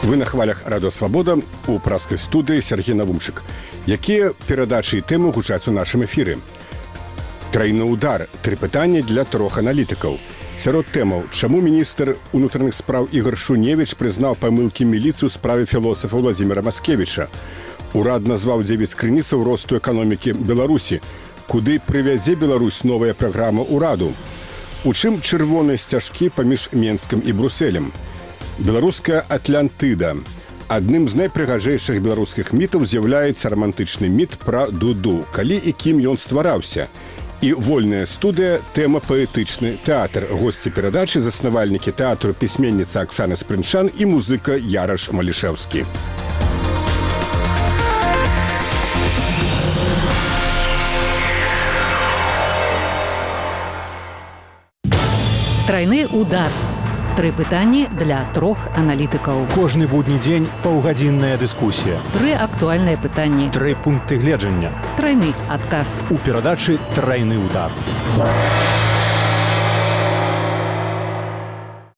Вы на хвалях Радио Свабода у праскай студыі Сергей Навумчык. Якія перадачы і тэмы гучаць у нашым эфіры? Трайны удар. 3 пытанні для 3 аналітыкаў. Сярод тэмаў, чаму міністр унутраных спраў Ігор Шуневіч прызнаў памылкі міліцыі ў справе філосафа Владзіміра Маскевіча. Урад назваў 9 крыніцаў росту эканомікі Беларусі. Куды прывядзе Беларусь новая праграма ўраду? У чым чырвоныя сцяжкі паміж Менскам і Брусэлем? Беларуская Атлантыда. Адным з найпрыгажэйшых беларускіх мітаў з'яўляецца рамантычны міт пра Дуду, калі і кім ён ствараўся. І вольная студыя, тэма паэтычны тэатр. Госці перадачы, заснавальнікі тэатру, пісьменніца Аксана Спрынчан і музыка Яраш Малішэўскі. Трайны удар. 3 пытанні для 3 аналітыкаў. Кожны будні дзень паўгадзінная дыскусія. 3 актуальныя пытанні. 3 пункты гледжання. Трайны адказ. У перадачы «Трайны удар».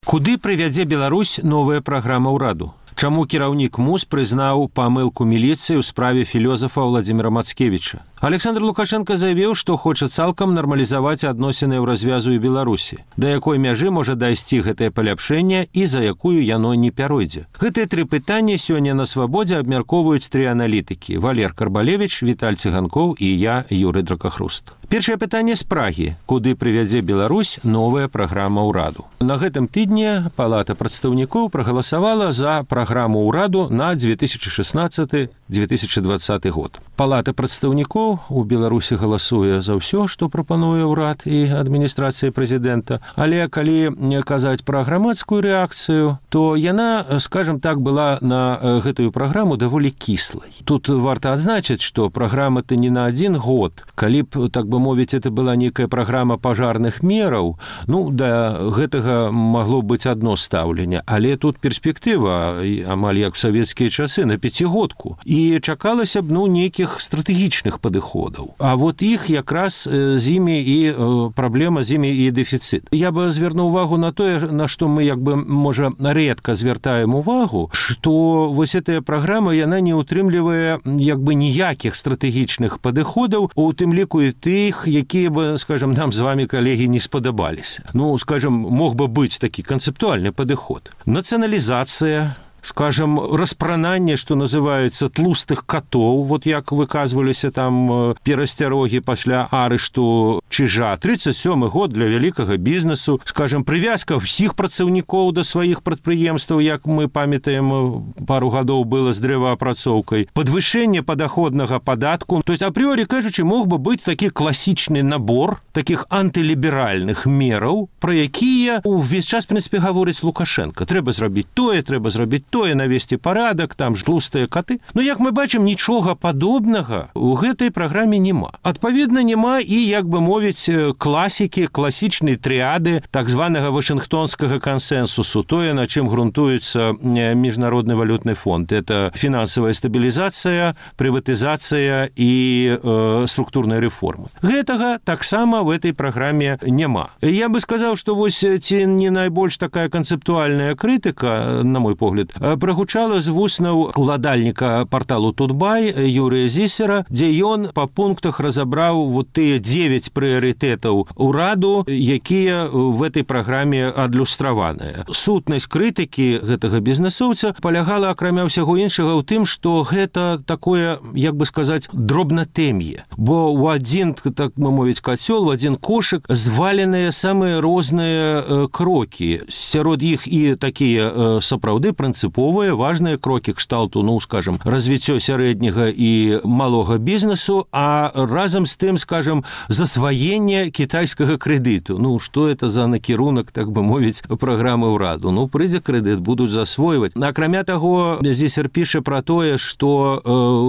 Куды прывядзе Беларусь новая праграма ўраду? Чаму кіраўнік МУЗ прызнаў памылку міліцыі ў справе філёзафа Владзіміра Мацкевіча? Александр Лукашенко заявіў, што хоча цалкам нармалізаваць адносіны ў развязу і Беларусі. Да якой мяжы можа дайсці гэтае паляпшэнне і за якую яно не пяройдзе? Гэтыя 3 пытанні сёння на Свабодзе абмяркоўваюць 3 аналітыкі: Валер Карбалевіч, Віталь Цыганкоў і я, Юрый Дракахруст. Першае пытанне з Прагі. Куды прывядзе Беларусь новая праграма ўраду? На гэтым тыдні Палата прадстаўнікоў прагаласавала за праграму ўраду на 2016-2020 год. Палата прадстаўнікоў у Беларусі галасуе за ўсё, што прапануе ўрад і адміністрацыя прэзідэнта. Але калі казаць пра грамадскую рэакцыю, то яна, скажам так, была на гэтую праграму даволі кіслай. Тут варта адзначыць, што праграма-то не на 1 год. Калі б, так бы мовіць, это была некая праграма пажарных мераў, ну, да гэтага магло быць адно стаўленне. Але тут перспектыва, амаль як у савецкія часы, на 5-годку. І чакалася б, ну, нейкіх стратэгічных падыходаў. А вот іх якраз з імі і праблема, з імі і дэфіцыт. Я бы звярнуў увагу на тое, на што мы, як бы, можа, рэдка звяртаем увагу, што вось гэтая праграма, яна не ўтрымлівае, як бы, ніякіх стратэгічных падыходаў, у тым ліку і тых, якія бы, скажам, нам з вами, калегі, не спадабаліся. Ну, скажам, мог бы быць такі канцэптуальны падыход. Нацыяналізацыя, скажем, распрананне, што называецца, тлустых катоў, вот як выказваліся там перасцярогі пасля арышту Чижа. 37 год для вялікага бізнесу, скажем, прывязка ўсіх працаўнікоў да сваіх прадпрыемстваў, як мы памятаем, пару гадоў было з дрэваапрацоўкай, падвышэнне падаходнага падатку. То есть, апрыорі кажучы, мог бы быць такі класічны набор такіх антыліберальных мераў, пра якія ўвесь час, в прынцыпе, гаворыць Лукашенко. Трэба зрабіць тое, трэба зрабіць тое, навесці парадак, там тлустыя каты. Но, як мы бачым, нічога падобнага ў гэтай праграме няма. Адпаведна, няма і, як бы мовіць, класікі, класічнай трыяды так званага вашынгтонскага кансенсусу, тое, на чым грунтуецца Міжнародны валютны фонд. Это фінансавая стабілізацыя, прыватызацыя і структурная рэформа. Гэтага таксама в этой праграме няма. Я бы сказаў, што вось ці не найбольш такая канцэптуальная крытыка, на мой погляд, прагучала з вуснаў уладальніка парталу Тутбай Юрыя Зісера, дзе ён па пунктах разабраў вот тыя 9 прыярытэтаў ураду, якія в этой праграме адлюстраваныя. Сутнасць крытыкі гэтага бізнесоўца палягала, акрамя ўсяго іншага, ў тым, што гэта такое, як бы сказаць, дробнатэм'е. Бо ў адзін, так бы мовіць, кацёл, у адзін кошык зваленыя самыя розныя крокі. Сярод іх і такія сапраўды прынцыповыя, важныя крокі кшталту, ну, скажем, развіццё сярэдняга і малога бізнесу, а разам з тым, скажем, засваенне кітайскага крэдыту. Ну, што это за накірунак, так бы мовіць, праграмы ўраду? Ну, прыйдзе крэдыт, будуць засвойваць. Акрамя таго, Зісер піша пра тое, што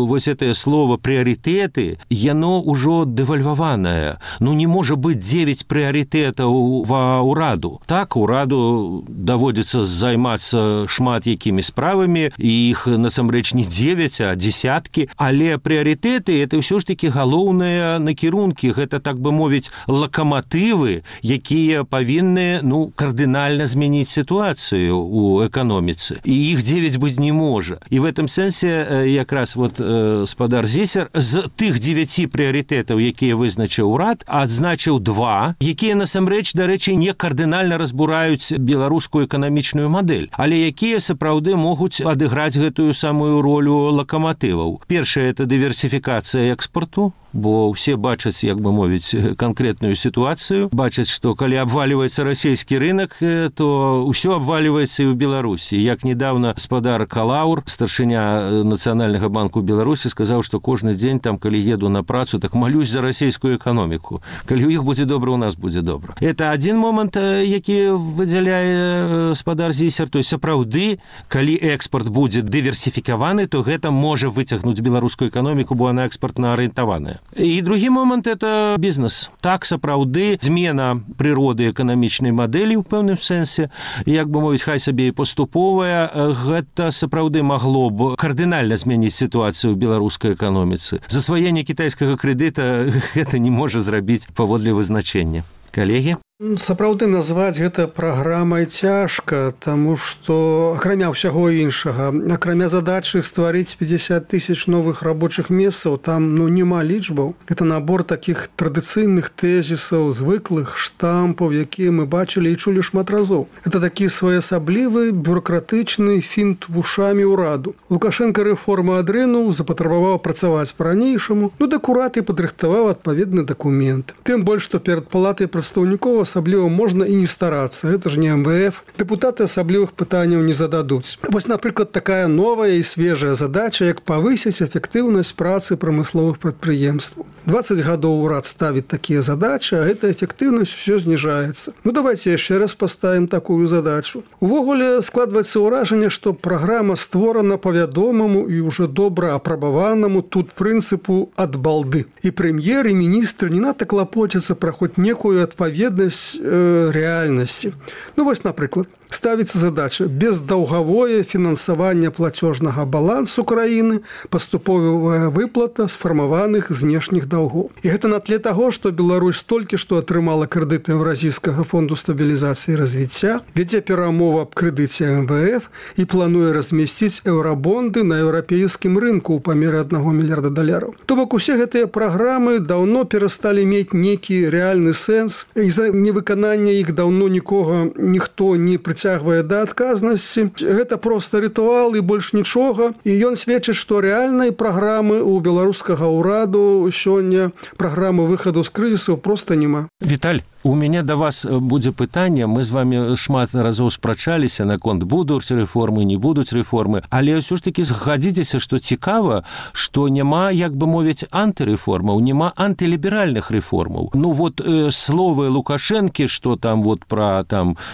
вось гэтае слово прыярытэты, яно ўжо дэвальваванае. Ну, не можа быць 9 прыярытэтаў ва ўраду. Так, ураду даводзіцца займацца шмат якімі такімі справамі, і іх насамрэч не 9, а десяткі, але прыярытэты это ўсё ж такі галоўныя накірункі, гэта, так бы мовіць, лакаматывы, якія павінны кардынальна змяніць сітуацыю у эканоміцы. І іх 9 быць не можа. І в этом сэнсе якраз спадар Зісер з тых 9 прыярытэтаў, якія вызначыў урад, адзначыў 2, якія насамрэч, дарэчы, не кардынальна разбураюць беларускую эканамічную мадэль, але якія сапраўды могуць адыграць гэтую самую ролю лакаматываў. Першае – это дыверсіфікацыя экспарту, бо ўсе бачаць, як бы мовіць, канкрэтную сітуацыю, бачаць, што калі абваливаецца расійскі рынок, то ўсё абваливаецца і ў Беларусі. Як недавно спадар Калаур, старшыня Нацыянальнага банку Беларусі, сказаў, што кожны дзень, там, калі еду на працу, так малюсь за расійскую эканоміку. Калі ў іх будзе добра, у нас будзе добра. Это адзін момант, які выдзяляе спадар Зісер. То есть, сапраўды, калі экспорт будзе дыверсіфікаваны, то гэта можа выцягнуць беларускую эканоміку, бо она экспортна арыентаваная. І другі момант – это бізнес. Так, сапраўды, змена прыроды эканамічнай мадэлі ў пэўным сэнсе, як бы мовіць, хай сабе і паступовая, гэта сапраўды магло б кардынальна змяніць сітуацыю ў беларускай эканоміцы. Засваенне кітайскага крэдыта гэта не можа зрабіць паводле вызначэння. Калегі? Сапраўды назваць гэта праграмай цяжка, таму што акрамя ўсяго іншага, акрамя задачы стварыць 50 000 новых рабочых месцаў, там няма лічбаў. Гэта набор такіх традыцыйных тэзісаў, звыклых штампаў, якія мы бачылі і чулі шмат разоў. Это такі своеасаблівы бюрократычны фінт вушамі ўраду. Лукашенко рэформу адрынуў, запатрабаваў працаваць па-ранейшаму, дык урад і падрыхтаваў адпаведны дакумент. Тым больш, што перад палатай прадстаўнікоў асабліва можна і не старацца. Гэта ж не МВФ. Дэпутаты асаблівых пытанняў не зададуць. Вось, напрыклад, такая новая і свежая задача, як павысіць эфектыўнасць працы прамысловых прадпрыемстваў. 20 гадоў урад ставіць такія задачы, а гэта эфектыўнасць усё зніжаецца. Давайте яшчэ раз паставім такую задачу. Увогуле складваецца ўражанне, што праграма створана па вядомаму і ўжо добра апрабаванаму тут прынцыпу ад балды. І прэм'ер, і міністр не надта клапоцяцца пра хоць некую адпаведнасць рэальнасці. Вось, напрыклад, ставіцца задача бездаўгавое фінансаванне плацёжнага балансу краіны, паступовая выплата сфармаваных знешніх даўгоў. І гэта на тле таго, што Беларусь толькі што атрымала крэдыты Еўразійскага фонду стабілізацыі і развіцця, вядзе перамову аб крэдыце МВФ і плануе размясціць еўрабонды на еўрапейскім рынку ў памеры $1 мільярда. То бок усе гэтыя праграмы даўно перасталі мець нейкі рэальны сэнс, і за невыканання іх даўно ніхто не прыцягвае да адказнасці. Гэта проста рытуал і больш нічога. І ён сведчыць, што рэальнай праграмы ў беларускага ўраду сёння, праграмы выхаду з крызісу проста няма. Віталь, у мяне да вас будзе пытанне. Мы з вами шмат разоў спрачаліся наконт будуць рэформы, не будуць рэформы, але ўсё ж такі згадзіцеся, што цікава, што няма, як бы мовіць, антырэформаў, няма антыліберальных рэформаў. Словы Лукашэнкі, што там пра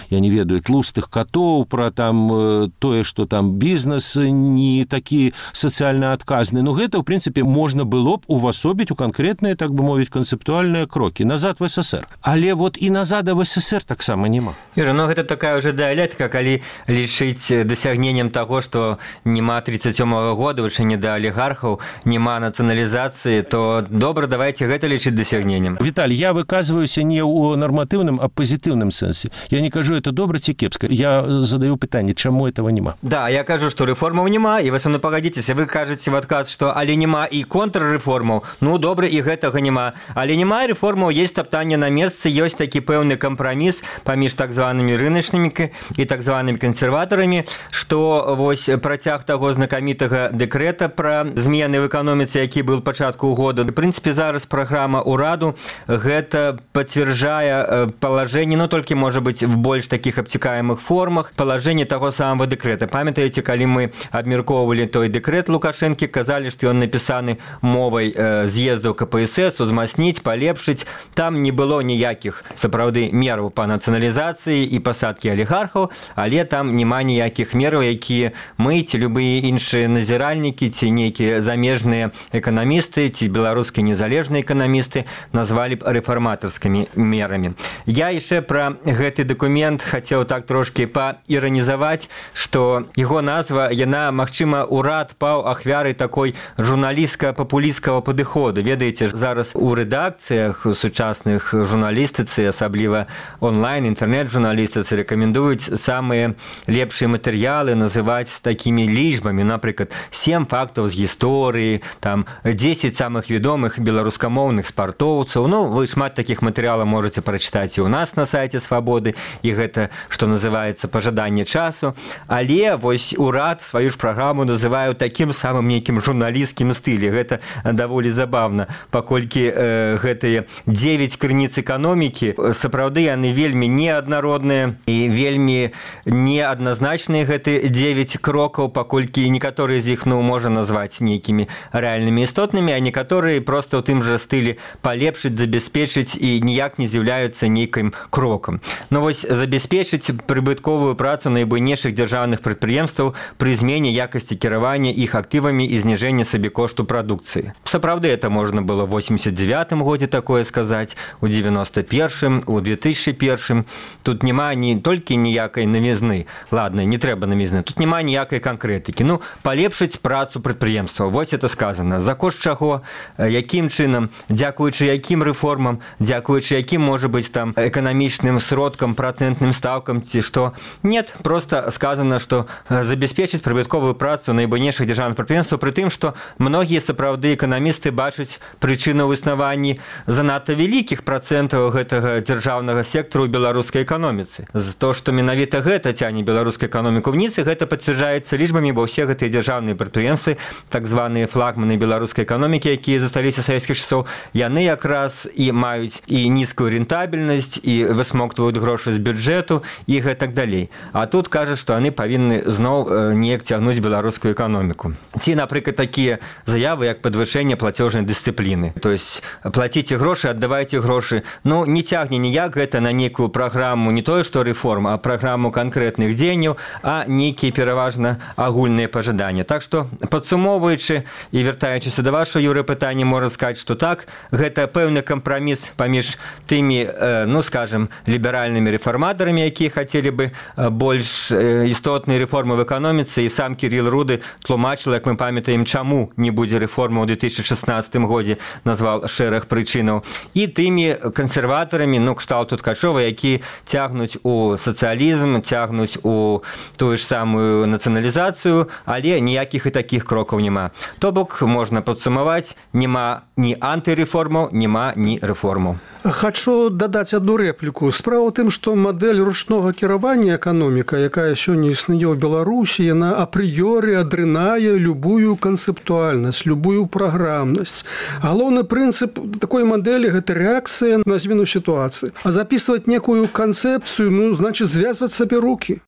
я не ведаю, тлустых катоў, пра тое, што там бізнес не такі сацыяльна адказны. Гэта, ў прынцыпе, можна было б увасобіць у канкрэтныя, так бы мовіць, канцэптуальныя крокі назад в СССР. Але і назад в СССР таксама няма. Іра, гэта такая ўжо дыялектыка, калі лічыць дасягненнем таго, што няма 37-го года вучэння да алігархаў, няма нацыяналізацыі, то добра, давайте гэта лічыць дасягненнем. Віталь, я выказваюся не ў нарматыўным, а пазітыўным сэнсе. Я не кажу, это добра ці кепска. Я задаю пытанне, чаму этого няма? Да, я кажу, што рэформаў няма, і вы са мной пагадзіцеся, вы кажаце в адказ, што але няма і контррэформаў. Добра, і гэтага няма. Але няма рэформаў, есть таптанне на месцы, ёсць такі пэўны кампраміс паміж так званымі рыначнымі і так званымі кансерватарамі, што вось працяг таго знакамітага дэкрэта пра змены в эканоміцы, які быў пачатку года. В прынцыпе, зараз праграма ўраду гэта пацвярджае палажэнне, толькі, можа быць, в больш такіх абцікаемых формах, палажэнне таго самого дэкрэта. Памятаеце, калі мы абмяркоўвалі той дэкрэт Лукашэнкі, казалі, што ён напісаны мовай з'ездаў КПСС, узмацніць, палепшыць. Там не было ніякіх сапраўды мераў па нацыяналізацыі і пасадкі алігархаў, але там няма ніякіх мераў, якія мы ці любыя іншыя назіральнікі ці нейкія замежныя эканамісты ці беларускія незалежныя эканамісты назвалі б рэфарматарскімі мерамі. Я яшчэ пра гэты дакумент хацеў так трошки трошки паіранізаваць, што яго назва, яна, магчыма, урад паў ахвярай такой журналістска-папулісцкага падыходу. Ведаеце, зараз у рэдакцыях сучасных журналістыцы, асабліва онлайн, інтэрнэт-журналістыцы рэкамендуюць самыя лепшыя матэрыялы называць такімі лічбамі, напрыклад, 7 фактаў з гісторыі, там 10 самых вядомых беларускамоўных спартоўцаў. Ну, вы шмат такіх матэрыялаў можаце прачытаць і ў нас на сайце Свабоды, і гэта, што называецца, пажаданне часу. Але вось урад сваю ж праграму называюць такім самым нейкім журналісцкім стылі. Гэта даволі забавна, паколькі гэтыя 9 крыніц эканомікі, сапраўды яны вельмі неаднародныя і вельмі неадназначныя гэты 9 крокаў, паколькі некаторыя з іх, ну, можна назваць нейкімі рэальнымі істотнымі, а некаторыя проста ў тым жа стылі палепшыць, забяспечыць і ніяк не з'яўляюцца нейкім крокам. Ну вось забяспечыць прыбытковую працу найбуйнейшых дзяржаўных прадпрыемстваў пры змене якасці кіравання іх актывамі і зніжэння сабекошту прадукцыі. Сапраўды это можна было ў 89-м годзе такое сказаць, у 91-м, у 2001-м. Тут няма не толькі ніякай навізны, ладно, не трэба навізны, тут няма ніякай канкрэтыкі. Ну, палепшыць працу прадпрыемства. Вось это сказано. За кошт чаго, якім чынам, дзякуючы якім рэформам, дзякуючы якім, можа быць, там эканамічным сродкам, працэнтным стаўкам ці што. Нет, просто сказано, што забяспечыць прыбытковую працу найбуйнейшых дзяржаўных прадпрыемстваў, пры тым, што многія сапраўды эканамісты бачаць прычыну ў існаванні занадта вялікіх працэнтаў гэтага дзяржаўнага сектару ў беларускай эканоміцы. За то, што менавіта гэта цягне беларускую эканоміку вниз, і гэта пацвярджаецца лічбамі, бо ўсе гэтыя дзяржаўныя прадпрыемствы, так званыя флагманы беларускай эканомікі, якія засталіся з савецкіх часоў, яны якраз і маюць і нізкую рентабельнасць, і высмоктваюць грошы з бюджэту, і гэтак далей. А тут кажа, што яны павінны зноў неяк цягнуць беларускую эканоміку. Ці, напрыклад, такія заявы, як падвышэнне плацёжнай дысцыпліны. То есть плаціце грошы, аддавайце грошы. Ну, не цягне ніяк гэта на нейкую праграму, не тое, што рэформ, а праграму канкрэтных дзеянняў, а нейкія пераважна агульныя пажаданні. Так што, падсумоўваючы і вяртаючыся да вашага, Юры, пытання, можна сказаць, што так, гэта пэўны кампраміс паміж тымі, ну, скажем, ліберальнымі рэфарматарамі, якія хацелі бы больш істотныя рэформы в эканоміцы, і сам Кірил Руды тлумачыў, як мы памятаем, чаму не будзе рэформы ў 2016 годзе, назваў шэраг прычынаў, і тымі кансерватарамі, ну, кшталту Ткачова, які цягнуць у сацыялізм, цягнуць у тую ж самую нацыяналізацыю, але ніякіх і такіх крокаў няма. То бок, можна падсумаваць, няма ні антырэформаў, няма ні рэформаў. Хачу дадаць одну рэпліку. Справа ў тым, што мадэль ручнога кіравання эканоміка, якая сёння існуе ў Беларусі, яна апрыёры адрынае любую канцэптуальнасць, любую праграмнасць. Галоўны прынцып такой мадэлі – гэта рэакцыя на змену сітуацыі. А запісваць некую канцэпцыю, ну, значыць, звязваць сабе рукі.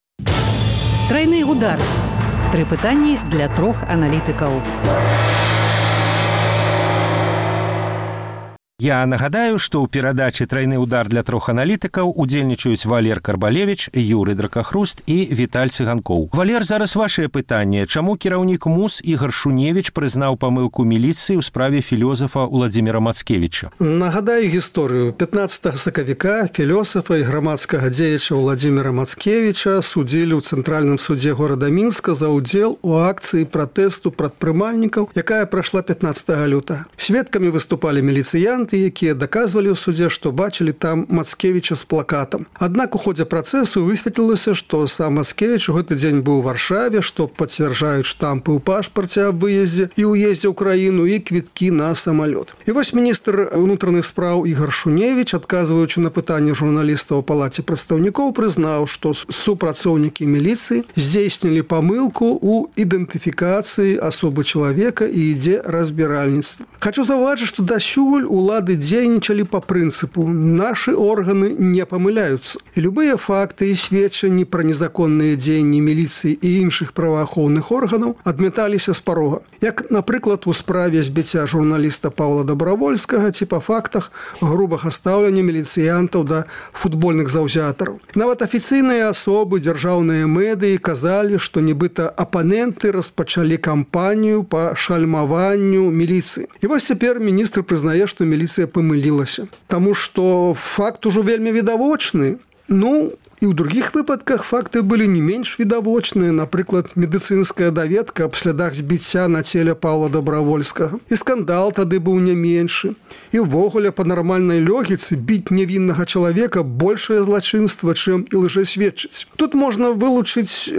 Трайны удар. 3 пытанні для 3 аналітыкаў. Я нагадаю, што ў перадачы «Трайны удар» для 3 аналітыкаў удзельнічаюць Валер Карбалевіч, Юры Дракахруст і Віталь Цыганкоў. Валер, зараз вашае пытанне. Чаму кіраўнік МУС Ігар Шуневіч прызнаў памылку міліцыі ў справе філёзафа Уладзіміра Мацкевіча? Нагадаю гісторыю. 15 сакавіка філёсафа і грамадскага дзеяча Уладзіміра Мацкевіча судзілі ў Цэнтральным судзе горада Мінска за ўдзел у акцыі пратэсту прадпрымальнікаў, якая прайшла 15 лютага. Сведкамі выступалі міліцыянты, якія даказвалі ў судзе, што бачылі там Мацкевіча з плакатам. Аднак у ходзе працэсу высветлілася, што сам Мацкевіч у гэты дзень быў у Варшаве, што пацвярджаюць штампы ў пашпарце аб выездзе і ўездзе ў краіну і квіткі на самалёт. І вось міністр унутраных спраў Ігар Шуневіч, адказваючы на пытанне журналістаў у палаце прадстаўнікоў, прызнаў, што супрацоўнікі міліцыі здзейснілі памылку ў ідэнтыфікацыі асобы чалавека і ідзе разбіральніцтва. Хачу заўважыць, што дасюль улады дзейнічалі па прынцыпу «нашы органы не памыляюцца». І любыя факты і сведчанні пра незаконныя дзеянні міліцыі і іншых праваахоўных органаў адмяталіся з парога. Як, напрыклад, у справе збіцця журналіста Паўла Дабравольскага ці па фактах грубага стаўлення міліцыянтаў да футбольных заўзятараў. Нават афіцыйныя асобы, дзяржаўныя медыі казалі, што нібыта апаненты распачалі кампанію па шальмаванню міліцыі. І вось цяпер міністр прызнае, што міліцыя памылілася. Таму што факт ужо вельмі відавочны. Ну, І ў другіх выпадках факты былі не менш відавочныя, напрыклад, медыцынская даведка аб слядах збіцця на целе Паўла Добравольскага. І скандал тады быў не меншы. І ўвогуле па нармальнай логіцы біць нявіннага чалавека большае злачынства, чым і лжэсведчыць. Тут можна вылучыць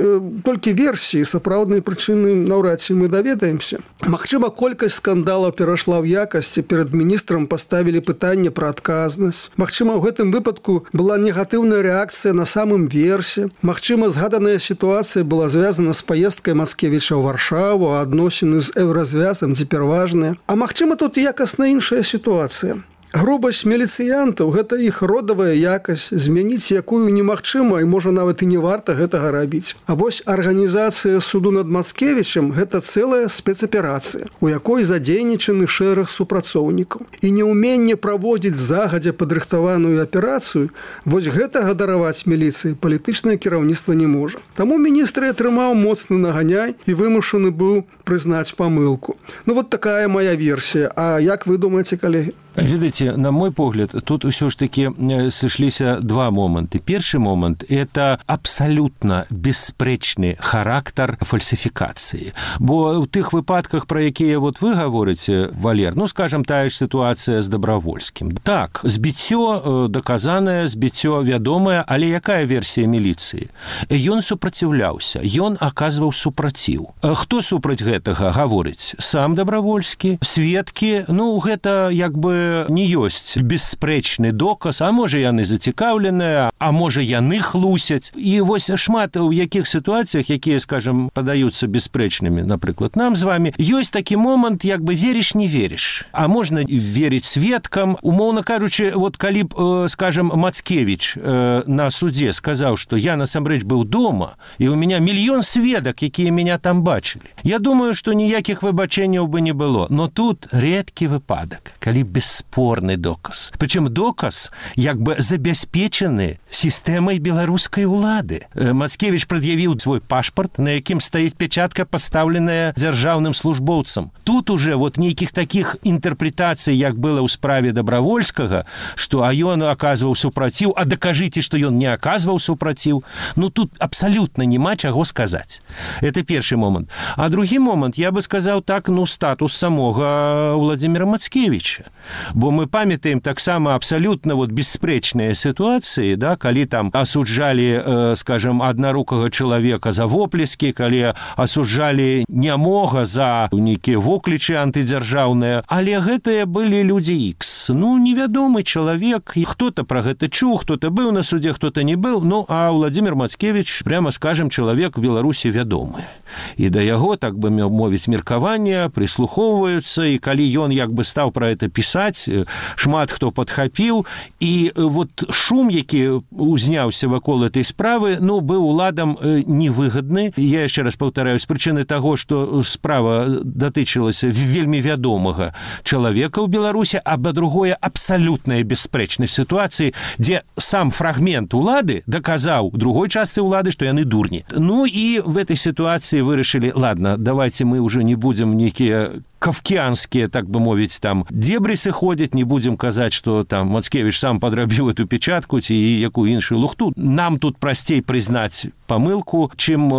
толькі версіі, сапраўднай прычыны наўрад ці мы даведаемся. Магчыма, колькасць скандалаў перайшла ў якасці, перад міністрам паставілі пытанне пра адказнасць. Магчыма, ў гэтым выпадку была негатыўная рэакцыя на самым версе. Магчыма, згаданая сітуацыя была звязана з паездкай Мацкевіча ў Варшаву, а адносіны з еўразвязам цяпер важныя. А магчыма, тут якасна іншая сітуацыя. Грубасць міліцыянтаў – гэта іх родавая якасць, змяніць якую немагчыма і, можа, нават і не варта гэтага рабіць. А вось арганізацыя суду над Мацкевічам – гэта цэлая спецаперацыя, у якой задзейнічаны шэраг супрацоўнікаў. І неўменне праводзіць загадзя падрыхтаваную аперацыю, вось гэтага дараваць міліцыі палітычнае кіраўніцтва не можа. Таму міністр атрымаў моцны наганяй і вымушаны быў прызнаць памылку. Ну, вот такая моя версія. А як вы думаеце, калегі? Видите, на мой погляд, тут все ж таки сошліся два моменты. Першы момент – это абсолютно беспрэчны характар фальсификации. Бо ў тых выпадках, про якія вот вы говорите, Валер, ну, скажем, тая ж ситуация с Добровольским. Так, збіццё доказанае, збіццё вядомае, але якая версія міліцыі? Ён супраціўляўся, ён аказваў супраціў. Хто супраць гэтага гаворыць? Сам Добровольскі, сведкі, ну, гэта як бы не ёсць бесспрэчны доказ, а можа яны зацікаўленыя, а можа яны хлусяць. І вось шмат у якіх сітуацыях, якія, скажем, падаюцца беспрэчнымі, напрыклад, нам з вами, ёсць такі момант, як бы вериш, не вериш. А можна верыць сведкам. Умоўна кажучы, вот калі б, скажем, Мацкевіч на суде сказаў, што я насамрэч быў дома, і у меня мільён сведак, якія меня там бачылі. Я думаю, што ніякіх выбачэнняў бы не было. Но тут рэдкі выпадак, калі бесспорны доказ. Причем доказ як бы забяспечаны сістэмай беларускай улады. Мацкевіч прад'явіў свой пашпарт, на якім стаіць печатка, пастаўленая дзяржаўным службоўцам. Тут уже вот нейкіх такіх інтэрпрэтацый, як было ў справе Добровольскага, што а ён аказваў супраціў, а дакажыце, што ён не аказваў супраціў. Ну тут абсалютна няма чаго сказаць. Это першы момант. А другі момант, я бы сказаў так, ну статус самога Владимира Мацкевіча. Бо мы памятаем таксама абсалютна вот беспрэчныя сітуацыі, да, калі там асуджалі, скажем, аднарукага чалавека за воплескі, калі асуджалі нямога за нейкія воклічы антыдзяржаўныя, але гэтыя былі людзі X. Ну, невядомы чалавек, хто-то пра гэта чуў, хто-то быў на суде, хто-то не быў, ну, а Владимир Мацкевіч, прямо скажем, чалавек в Беларусі вядомы. І да яго, так бы мовіць, меркавання прыслухоўваюцца, і калі ён як бы стаў пра гэта пісаць, шмат хто падхапіў, і вот шум, які узняўся вакол этой справы, ну, быў уладам невыгадны. Я яшчэ раз паўтараю, з прычыны таго, што справа датычылася вельмі вядомага чалавека ў Беларусі, а па-другое, абсалютная беспрэчнасць сітуацыі, дзе сам фрагмент улады даказаў другой частцы улады, што яны дурні. Ну, і в этой ситуации вырашылі, ладно, давайте мы уже не будем некие кафкіанскія, так бы мовіць, там дзебрысы ходзяць, не будзем казаць, што там Мацкевіч сам падрабіў эту печатку ці якую іншую лухту. Нам тут прасцей прызнаць памылку, чым,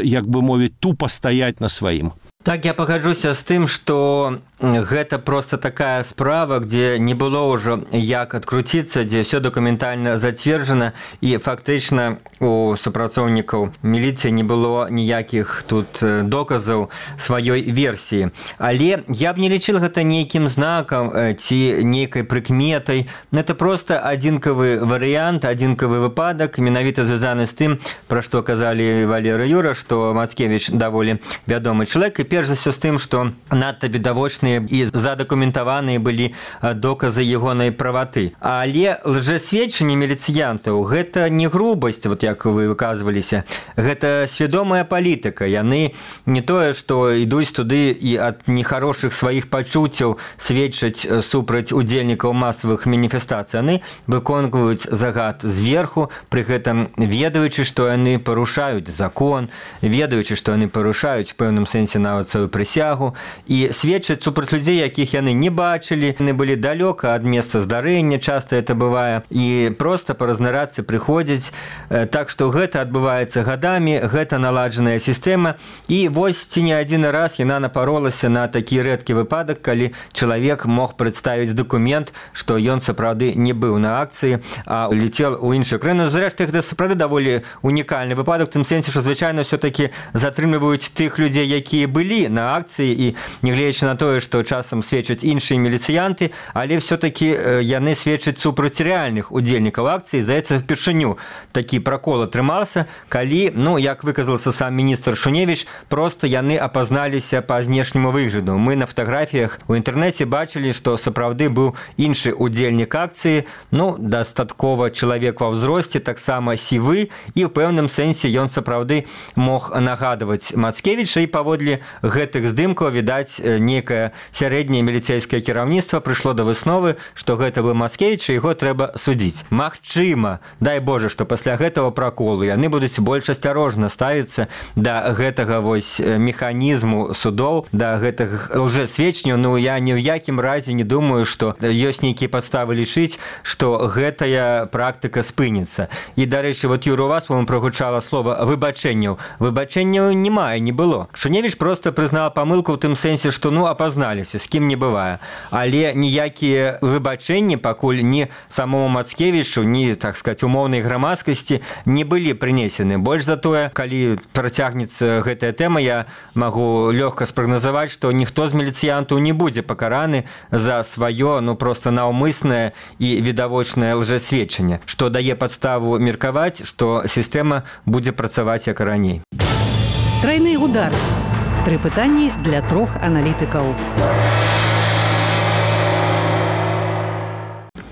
як бы мовіць, тупа стаяць на сваім. Так, я пагаджуся з тым, што гэта просто такая справа, где не было ўжо як адкруціцца, дзе ўсё дакументальна зацверджана, і фактычна у супрацоўнікаў міліцыі не было ніякіх тут доказаў сваёй версіі. Але я б не лічыў гэта нейкім знакам ці нейкай прыкметай. Гэта просто адзінкавы варыянт, адзінкавы выпадак, менавіта звязаны з тым, пра што казалі Валера і Юра, што Мацкевіч даволі вядомы чалавек, і перш за ўсё з тым, што надта відавочныя і задакументаваныя былі доказы ягонай праваты. Але лжэсведчанне міліцыянтаў – гэта не грубасць, вот як вы выказваліся, гэта свядомая палітыка. Яны не тое, што ідуць туды і ад нехарошых сваіх пачуццяў сведчаць супраць удзельнікаў масавых маніфестацый. Яны выконваюць загад зверху, пры гэтым ведаючы, што яны парушаюць закон, ведаючы, што яны парушаюць в пэўным сэнсе нават выконваць сваю прысягу і сведчаць супраць людзей, якіх яны не бачылі, яны былі далёка ад месца здарэння, часта это бывае, і проста па разнарадцы прыходзяць. Так што гэта адбываецца гадамі, гэта наладжаная сістэма, і вось ці не адзін раз яна напаролася на такі рэдкі выпадак, калі чалавек мог прадставіць дакумент, што ён сапраўды не быў на акцыі, а летел у іншую краіну. Зрэшты, гэта сапраўды даволі унікальны выпадак, у тым сэнсе, што звычайна ўсё-такі затрымліваюць тых людзей, якія былі на акцыі, і нягледзячы на тое, што часам сведчаць іншыя міліцыянты, але ўсё-такі яны сведчаць супраць рэальных удзельнікаў акцыі. Здаецца, впершыню такі пракол атрымаўся, калі, як выказался сам міністр Шуневіч, проста яны апазналіся па знешняму выгляду. Мы на фатаграфіях у інтэрнэце бачылі, што сапраўды быў іншы удзельнік акцыі, дастаткова чалавек ва ўзросце, таксама сівы, і ў пэўным сэнсе ён сапраўды мог нагадваць Мацкевіча, і паводле гэтых здымкаў, відаць, некае сярэдняе міліцэйскае кіраўніцтва прыйшло да высновы, што гэта быў Мацкевіч, і яго трэба судзіць. Магчыма, дай Божа, што пасля гэтага праколу яны будуць больш асцярожна ставіцца да гэтага механізму судоў, да гэтых лжэсведчанняў. Я ні ў якім разе не думаю, што ёсць нейкія падставы лічыць, што гэтая практыка спыніцца. І, дарэчы, Юра, у вас прагучала слова выбачэнняў. Выбачэнняў не было. Шуневіч проста прызнала памылку ў тым сэнсе, што апазналіся, з кім не бывае. Але ніякія выбачэнні пакуль ні самому Мацкевічу, ні, так сказать, умоўнай грамадскасці не былі прынесены. Больш за тое, калі працягнецца гэтая тэма, я магу лёгка спрагназаваць, што ніхто з міліцыянтаў не будзе пакараны за сваё, проста наўмыснае і відавочнае лжэсведчанне, што дае падставу меркаваць, што сістэма будзе працаваць як раней. Трайны удар. 3 пытанні для 3 аналітыкаў.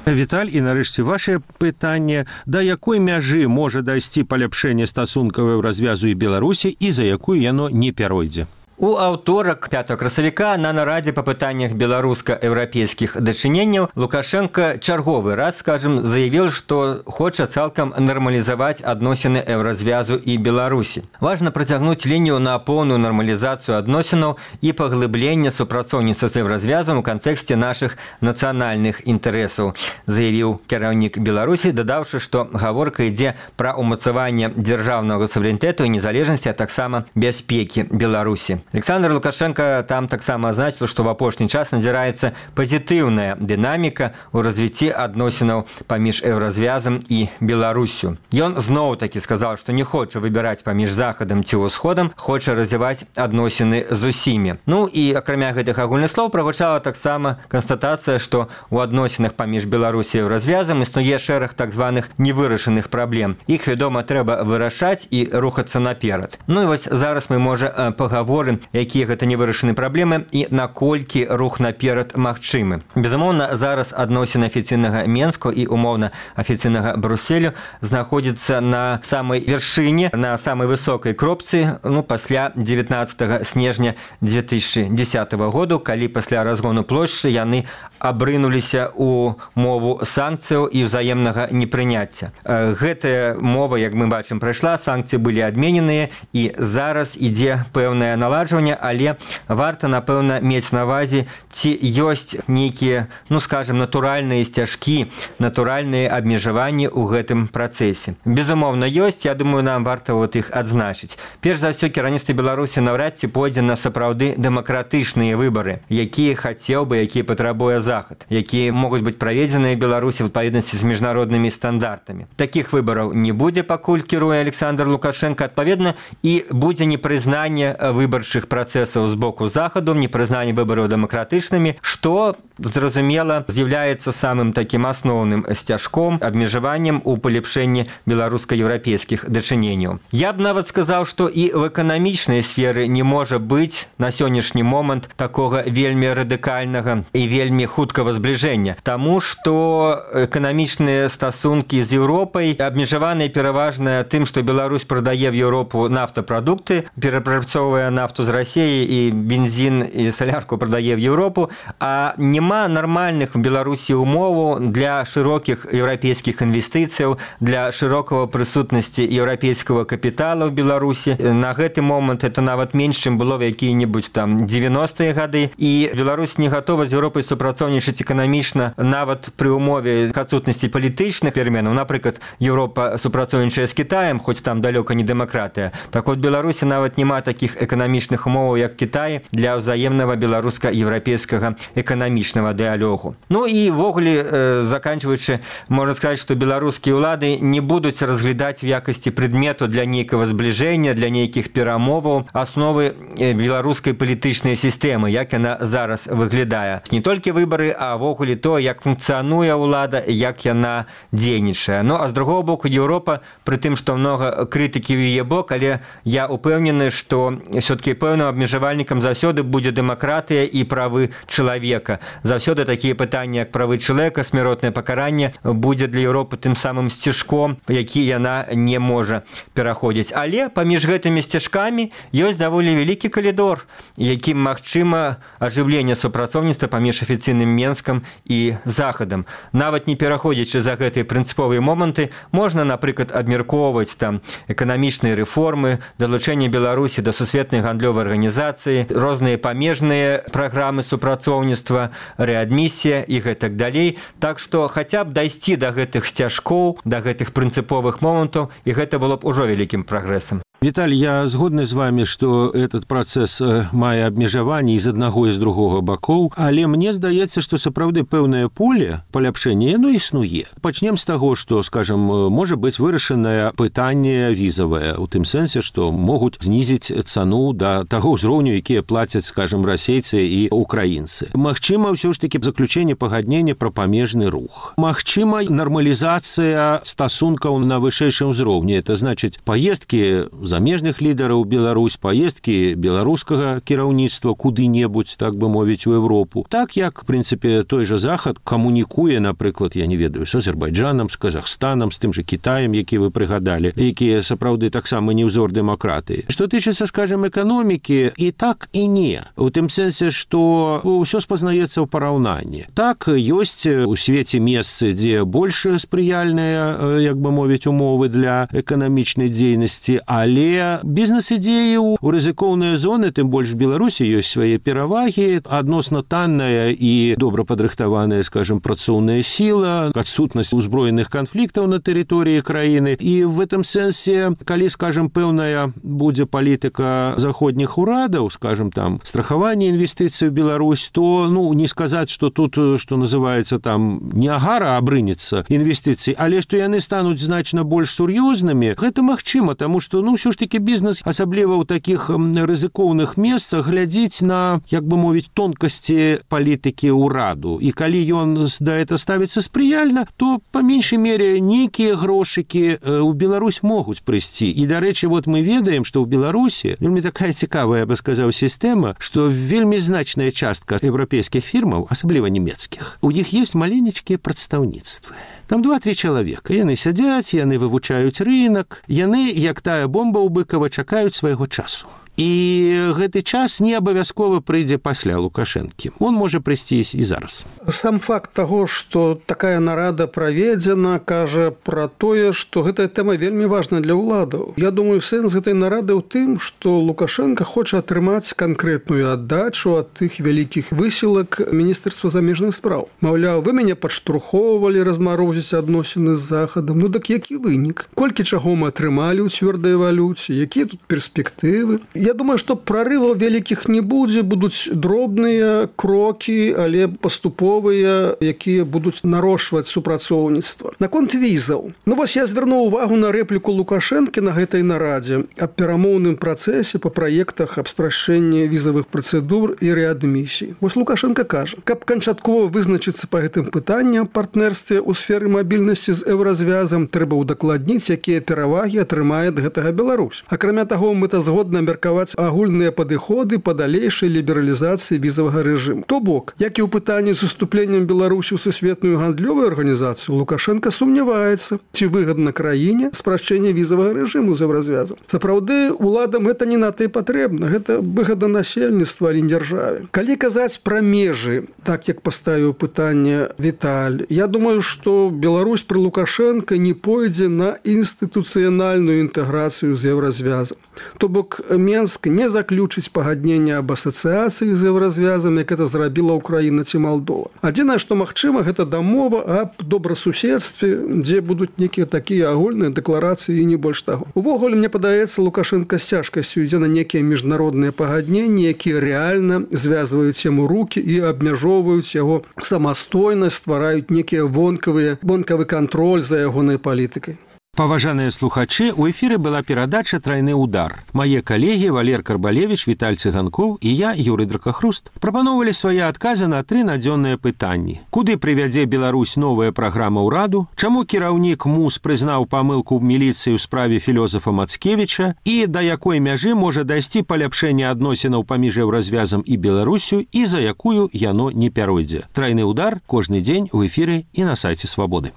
Віталь, і нарэшце ваше пытанне, да якой мяжы можа дайсці паляпшэнне стасункаў развязу і Беларусі, і за якую яно не пяройдзе? У аўторак 5 красавіка на нарадзе па пытаннях беларуска-еўрапейскіх дачыненняў Лукашенко чарговы раз, заявіў, што хоча цалкам нармалізаваць адносіны еўразвязу і Беларусі. Важна працягнуць лінію на поўную нармалізацыю адносінаў і паглыблення супрацоўніцтва з еўразвязам у кантэксце нашых нацыянальных інтарэсаў, заявіў кіраўнік Беларусі, дадаўшы, што гаворка ідзе пра ўмацаванне дзяржаўнага суверэнітэту і незалежнасці, а таксама бяспекі Беларусі. Александр Лукашенко там таксама азначыў, што в апошні час назіраецца пазітыўная дынаміка ў развіцці адносінаў паміж еўразвязам і Беларусю. Ён зноў-такі сказаў, што не хоча выбіраць паміж Захадам ці ўсходам, хоча развіваць адносіны з усімі. І акрамя гэтых агульных слоў прагучала таксама канстатацыя, што ў адносінах паміж Беларусі і еўразвязам існуе шэраг так званых невырашаных праблем. Іх, вядома, трэба вырашаць і рухацца наперад. І вось зараз мы, можа, пагаворым, якія гэта невырашаныя праблемы і наколькі рух наперад магчымы. Безумоўна, зараз адносіны афіцыйнага Менску і умоўна афіцыйнага Брюсселю знаходзіцца на самай вяршыні, на самай высокай кропцы, пасля 19 снежня 2010 году, калі пасля разгону плошчы яны абрынуліся ў мову санкцыяў і ўзаемнага непрыняцця. Гэтая мова, як мы бачым, прайшла, санкцыі былі адмененыя, і зараз ідзе пэўнае наладжванне, але варта, напэўна, мець на ўвазе, ці ёсць нейкія, натуральныя сцяжкі, натуральныя абмежаванні ў гэтым працэсе. Безумоўна, ёсць, я думаю, нам варта іх адзначыць. Перш за ўсё, кіраўніцтва Беларусі наўрад ці пойдзе на сапраўды дэмакратычныя выбары, якія хацеў бы, якія патрабуе Захад, якія могуць быць праведзеныя ў Беларусі в адпаведнасці з міжнароднымі стандартамі. Такіх выбараў не будзе, пакуль кіруе Александр Лукашенко, адпаведна, і будзе непрызнанне выбарчых працэсаў з боку Захаду, непрызнанне выбараў дэмакратычнымі, што, зразумела, з'яўляецца самым такім асноўным сцяжком, абмежаваннем у палепшэнні беларуска-еўрапейскіх дачыненняў. Я б нават сказаў, што і в эканамічнай сферы не можа быць на сённяшні момант такога вельмі радыкальнага і вельмі хуткага збліжэння, таму што эканамічныя стасункі з Еўропай абмежаваныя пераважна тым, што Беларусь прадае в Еўропу нафтапрадукты, перапрацоўвае нафту нафту з Расіі і бензін і салярку прадае в Еўропу, а няма нармальных в Беларусі умоваў для шырокіх еўрапейскіх інвестыцыяў, для шырокага прысутнасці еўрапейскага капітала в Беларусі. На гэты момант это нават менш, чым было в якія-небудзь там 90-е гады, і Беларусь не гатова з Еўропай супрацоўнічаць эканамічна нават пры умове адсутнасці палітычных пераменаў. Напрыклад, Еўропа супрацоўнічае з Кітаем, хоць там далёка не дэмакратыя. Так вот, Беларусі нават няма такіх эканамічных умоваў, як Кітай, для ўзаемнага беларуска-еўрапейскага эканамічнага дыалогу. Ну і ввогуле, заканчваючы, можна сказаць, што беларускія ўлады не будуць разглядаць в якасці прадмету для нейкага збліжэння, для нейкіх перамоваў асновы беларускай палітычнай сістэмы, як яна зараз выглядае. Не толькі выбары, а ввогуле то, як функцыянуе ўлада, як яна дзейнічае. Ну, а з другого боку, Еўропа, пры тым, што многа крытыкі ў яе бок, але я упэўнены, што все-таки пэўным абмежавальнікам заўсёды будзе дэмакратыя і правы чалавека. Заўсёды такія пытанні, як правы чалавека, смяротнае пакаранне, будзе для Еўропы тым самым сцяжком, які яна не можа пераходзіць. Але паміж гэтымі сцяжкамі ёсць даволі вялікі калідор, якім магчыма ажыўленне супрацоўніцтва паміж афіцыйным Менскам і Захадам. Нават не пераходзячы за гэтыя прынцыповыя моманты, можна, напрыклад, абмяркоўваць там эканамічныя рэформы, далучэнне Беларусі да сусветнай гандлёвай арганізацыі, розныя памежныя праграмы супрацоўніцтва, рэадмісія і гэтак далей. Так што хаця б дайсці да гэтых сцяжкоў, да гэтых прынцыповых момантаў, і гэта было б ужо вялікім прагрэсам. Виталий, я згодны з вами, што этот працэс мае абмежаванні і з аднаго і з другога бакоў, але мне здаецца, што сапраўды пэўнае поле паляпшэння, яно існуе. Пачнем з таго, што, скажам, можа быць вырашанае пытанне візавае, у тым сэнсе, што могуць знізіць цану да таго ўзроўню, якія плацяць, скажам, расейцы і украінцы. Магчыма, ўсё ж такі заключэнне пагаднення пра памежны рух. Магчыма, нармалізацыя стасункаў на вышэйшым узроўні. Это значыць, паездкі замежных лідараў Беларусь, паездкі беларускага кіраўніцтва куды-небудзь, так бы мовіць, у Европу. Так як, в прынцыпе, той жа Захад камунікуе, напрыклад, я не ведаю, з Азербайджанам, з Казахстанам, з тым жа Кітаем, які вы прыгадалі, якія сапраўды таксама не ўзор дэмакратыі. Што тычыцца, скажем, эканомікі, і так, і не. У тым сэнсе, што ўсё спазнаецца ў параўнанні. Так, ёсць у свеце месцы, дзе больш спрыяльныя, як бы мовіць, умовы для эканамічнай дзейнасці, але бізнес-ідзеі ў рызыкоўныя зоны, тым больш Беларусі ёсць свае перавагі, адносна танная і добра падрыхтаваная, скажем, працоўная сіла, адсутнасць узброеных канфліктаў на тэрыторыі краіны. І в этом сэнсе, калі, скажем, пэўная будзе палітыка заходніх урадаў, скажем, там, страхаванне інвестыцый у Беларусь, то, ну, не сказаць, што тут, што называецца, там, не агара абрынецца інвестыцый, але што яны стануць значна больш сур'ёзнымі, гэта магчыма, таму што, ну, ўсё ж такі бізнес, асабліва ў такіх рызыкоўных месцах, глядзіць на, як бы мовіць, тонкасці палітыкі ўраду. І калі ён да это ставіцца спрыяльна, то па меншай мере нейкія грошыкі ў Беларусь могуць прыйсці. І, дарэчы, вот мы ведаем, што ў Беларусі вельмі такая цікавая, я бы сказаў, сістэма, што вельмі значная частка еўрапейскіх фірмаў, асабліва нямецкіх, у іх ёсць маленечкія прадстаўніцтвы. Там 2-3 чалавека. Яны сядзяць, яны вывучаюць рынок, яны, як тая бомба ў Быкава, чакаюць свайго часу. І гэты час не абавязкова прыйдзе пасля Лукашэнкі. Он можа прыйсці і зараз. Сам факт таго, што такая нарада праведзена, кажа пра тое, што гэтая тэма вельмі важна для ўладаў. Я думаю, сэнс гэтай нарады ў тым, што Лукашенко хоча атрымаць канкрэтную аддачу ад тых вялікіх высілак Міністэрства замежных спраў. Маўляў, вы мяне падштурхоўвалі размарозіць адносіны з Захадам. Ну так які вынік? Колькі чаго мы атрымалі ў цвёрдай валюце? Якія тут перспектывы? Я думаю, што прарываў вялікіх не будзе, будуць дробныя крокі, але паступовыя, якія будуць нарошваць супрацоўніцтва. Наконт візаў. Ну вось я звярнуў увагу на рэпліку Лукашэнкі на гэтай нарадзе аб перамоўным працэсе па праектах аб спрашчэнні візавых працэдур і рэадмісій. Вось Лукашенко кажа, каб канчаткова вызначыцца па гэтым пытанням партнерстве ў сферы мабільнасці з еўразвязам, трэба ўдакладніць, якія перавагі атрымае ад гэтага Беларусь. Акрамя таго, мэтазгодна меркаваць абмеркаваць агульныя падыходы па далейшай лібералізацыі візавага рэжыму. То бок, як і ў пытанні з уступленнем Беларусі ў сусветную гандлёвую арганізацыю, Лукашенко сумняваецца, ці выгадна краіне спрашчэнне візавага рэжыму з еўразвязам. Сапраўды, уладам гэта не на тый патрэбна, гэта выгада насельніцтва, а не дзяржаве. Калі казаць пра межы, так як паставіў пытанне Віталь, я думаю, што Беларусь пры Лукашенко не пойдзе на інстытуцыянальную інтэграцыю з еўразвязам. То бок, Менск не заключыць пагаднення аб асацыяцыі з еўразвязам, як это зрабіла Украіна ці Малдова. Адзінае, што магчыма, гэта дамова аб добрасуседстве, дзе будуць нейкія такія агульныя дэкларацыі і не больш таго. Увогуле, мне падаецца, Лукашенко з цяжкасцю ідзе на нейкія міжнародныя пагадненні, якія рэальна звязваюць яму рукі і абмяжоўваюць яго самастойнасць, ствараюць нейкія вонкавы кантроль за ягонай палітыкай. Паважаныя слухачы, у эфіры была перадача «Трайны удар». Мае калегі Валер Карбалевіч, Віталь Цыганкоў і я, Юрый Дракахруст, прапаноўвалі свае адказы на 3 надзённыя пытанні. Куды прывядзе Беларусь новая праграма ўраду? Чаму кіраўнік МУС прызнаў памылку ў міліцыі ў справе філёзафа Мацкевіча? І да якой мяжы можа дайсці паляпшэнне адносінаў паміж еўразвязам і Беларусю і за якую яно не пяройдзе? «Трайны удар» кожны дзень у эфіры і на сайце Свабоды.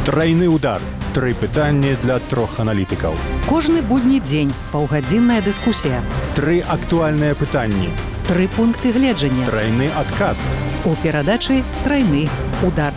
Трайны удар. 3 пытанні для 3 аналітыкаў. Кожны будні дзень паўгадзінная дыскусія. 3 актуальныя пытанні. 3 пункты гледжання. Трайны адказ. У перадачы «Трайны удар».